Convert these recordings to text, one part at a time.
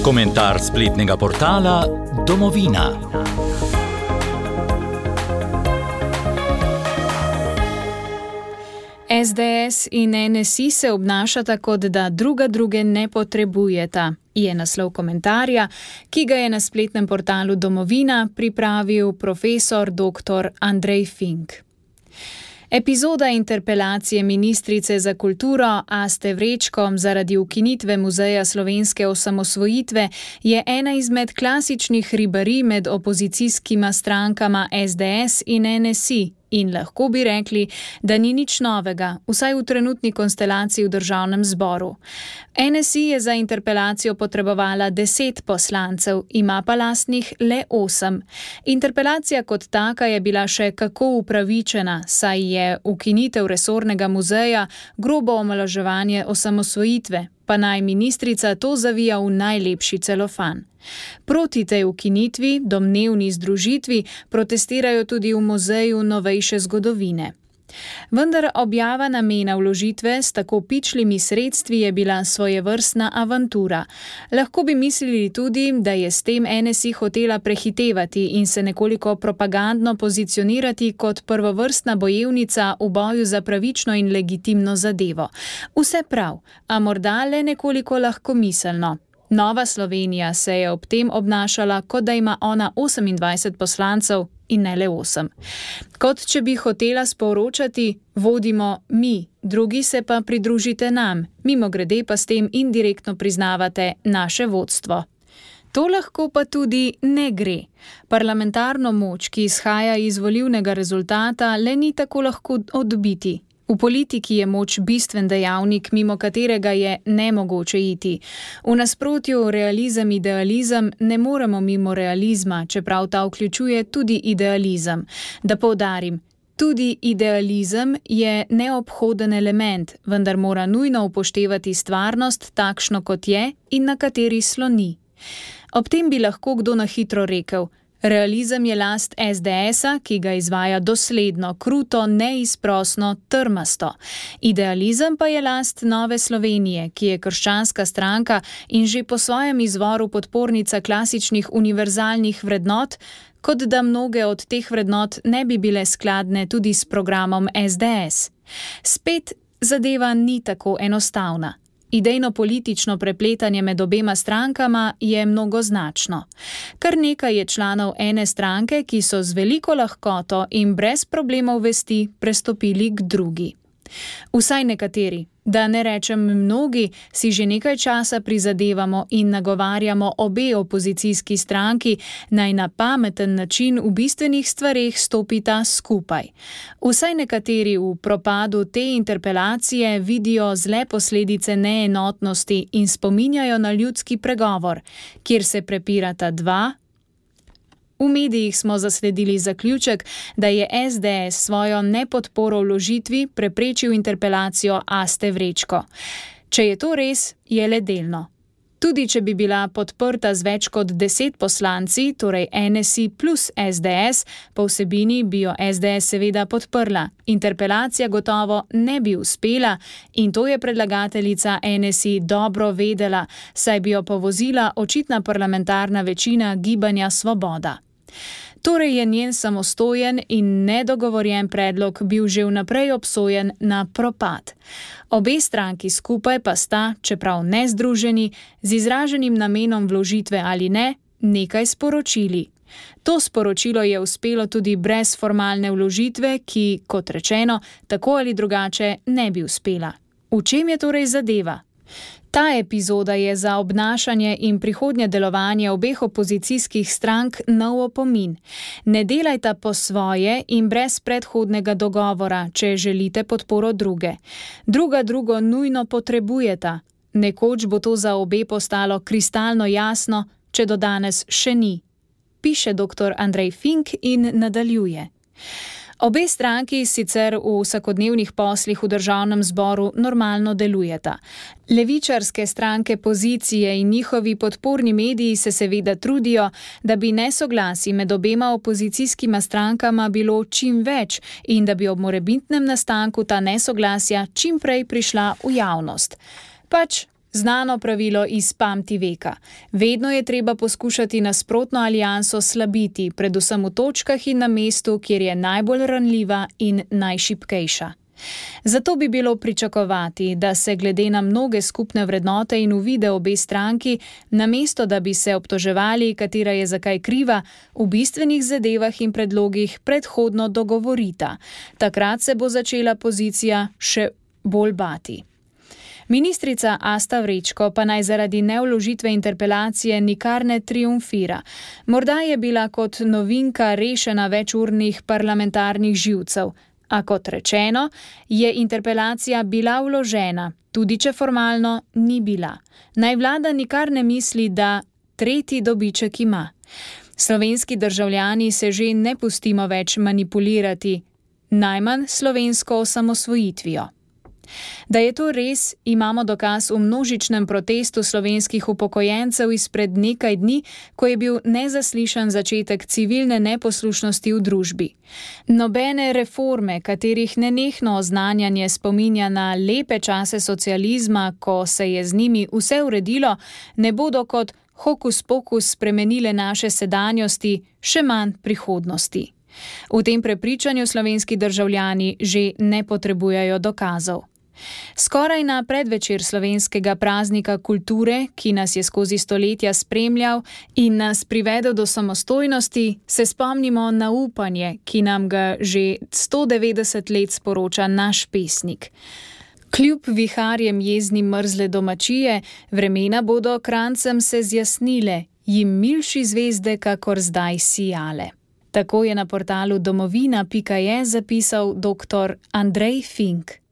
Komentar spletnega portala Domovina. SDS in NSI se obnašata, kot da druge ne potrebujeta, je naslov komentarja, ki ga je na spletnem portalu Domovina pripravil profesor dr. Andrej Fink. Epizoda interpelacije ministrice za kulturo Aste Vrečko zaradi ukinitve Muzeja slovenske osamosvojitve je ena izmed klasičnih ribarij med opozicijskima strankama SDS in NSI. In lahko bi rekli, da ni nič novega, vsaj v trenutni konstelaciji v državnem zboru. NSI je za interpelacijo potrebovala 10 poslancev, ima pa lastnih le 8. Interpelacija kot taka je bila še kako upravičena, saj je ukinitev resornega muzeja grobo omalovaževanje osamosvojitve, pa naj ministrica to zavija v najlepši celofan. Proti tej ukinitvi, domnevni združitvi, protestirajo tudi v Muzeju novejše zgodovine. Vendar objava namena vložitve s tako pičlimi sredstvi je bila svojevrstna avantura. Lahko bi mislili tudi, da je s tem NSI hotela prehitevati in se nekoliko propagandno pozicionirati kot prvovrstna bojevnica v boju za pravično in legitimno zadevo. Vse prav, a morda le nekoliko lahkomiselno. Nova Slovenija se je ob tem obnašala, kot da ima ona 28 poslancev in ne le 8. Kot če bi hotela sporočati, vodimo mi, drugi se pa pridružite nam, mimogrede pa s tem indirektno priznavate naše vodstvo. To lahko pa tudi ne gre. Parlamentarno moč, ki izhaja iz volilnega rezultata, le ni tako lahko odbiti. V politiki je moč bistven dejavnik, mimo katerega je nemogoče iti. V nasprotju realizem-idealizem ne moremo mimo realizma, čeprav ta vključuje tudi idealizem. Da poudarim, tudi idealizem je neobhoden element, vendar mora nujno upoštevati stvarnost takšno kot je in na kateri sloni. Ob tem bi lahko kdo na hitro rekel: realizem je last SDS-a, ki ga izvaja dosledno, kruto, neizprosno, trmasto. Idealizem pa je last Nove Slovenije, ki je krščanska stranka in že po svojem izvoru podpornica klasičnih univerzalnih vrednot, kot da mnoge od teh vrednot ne bi bile skladne tudi s programom SDS. Spet zadeva ni tako enostavna. Idejno-politično prepletanje med obema strankama je mnogoznačno. Kar nekaj je članov ene stranke, ki so z veliko lahkoto in brez problemov vesti prestopili k drugi. Vsaj nekateri, da ne rečem mnogi, si že nekaj časa prizadevamo in nagovarjamo obe opozicijski stranki, naj na pameten način v bistvenih stvareh stopita skupaj. Vsaj nekateri v propadu te interpelacije vidijo zle posledice neenotnosti in spominjajo na ljudski pregovor, kjer se prepirata dva. V medijih smo zasledili zaključek, da je SDS svojo nepodporo vložitvi preprečil interpelacijo Aste Vrečko. Če je to res, je le delno. Tudi če bi bila podprta z več kot 10 poslanci, torej NSI plus SDS, po vsebini bi jo SDS seveda podprla. Interpelacija gotovo ne bi uspela in to je predlagateljica NSI dobro vedela, saj bi jo povozila očitna parlamentarna večina Gibanja Svoboda. Torej je njen samostojen in nedogovorjen predlog bil že vnaprej obsojen na propad. Obe stranki skupaj pa sta, čeprav ne združeni, z izraženim namenom vložitve ali ne, nekaj sporočili. To sporočilo je uspelo tudi brez formalne vložitve, ki, kot rečeno, tako ali drugače ne bi uspela. V čem je torej zadeva? Ta epizoda je za obnašanje in prihodnje delovanje obeh opozicijskih strank nov opomin. Ne delajta po svoje in brez predhodnega dogovora, če želite podporo druge. Drugo nujno potrebujeta. Nekoč bo to za obe postalo kristalno jasno, če do danes še ni. Piše dr. Andrej Fink in nadaljuje. Obe stranki sicer v vsakodnevnih poslih v državnem zboru normalno delujeta. Levičarske stranke pozicije in njihovi podporni mediji se seveda trudijo, da bi nesoglasij med obema opozicijskima strankama bilo čim več in da bi ob morebitnem nastanku ta nesoglasja čim prej prišla v javnost. Pač Znano pravilo iz pamti veka. Vedno je treba poskušati nasprotno alianso slabiti, predvsem v točkah in na mestu, kjer je najbolj ranljiva in najšibkejša. Zato bi bilo pričakovati, da se glede na mnoge skupne vrednote in uvide obe stranki, namesto da bi se obtoževali, katera je zakaj kriva, v bistvenih zadevah in predlogih predhodno dogovorita. Takrat se bo začela pozicija še bolj bati. Ministrica Asta Vrečko pa naj zaradi nevložitve interpelacije nikar ne triumfira. Morda je bila kot novinka rešena večurnih parlamentarnih živcev, a kot rečeno, je interpelacija bila vložena, tudi če formalno ni bila. Naj vlada nikar ne misli, da tretji dobiček ima. Slovenski državljani se že ne pustimo več manipulirati, najmanj slovensko osamosvojitvijo. Da je to res, imamo dokaz v množičnem protestu slovenskih upokojencev izpred nekaj dni, ko je bil nezaslišan začetek civilne neposlušnosti v družbi. Nobene reforme, katerih nenehno oznanjanje spominja na lepe čase socializma, ko se je z njimi vse uredilo, ne bodo kot hokus pokus spremenile naše sedanjosti, še manj prihodnosti. V tem prepričanju slovenski državljani že ne potrebujejo dokazov. Skoraj na predvečer slovenskega praznika kulture, ki nas je skozi stoletja spremljal in nas privedel do samostojnosti, se spomnimo na upanje, ki nam ga že 190 let sporoča naš pesnik. Kljub viharjem jeznim mrzle domačije, vremena bodo krancem se zjasnile, jim milši zvezde kakor zdaj sijale. Tako je na portalu domovina.je zapisal dr. Andrej Fink.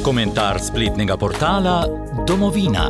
Komentar spletnega portala Domovina.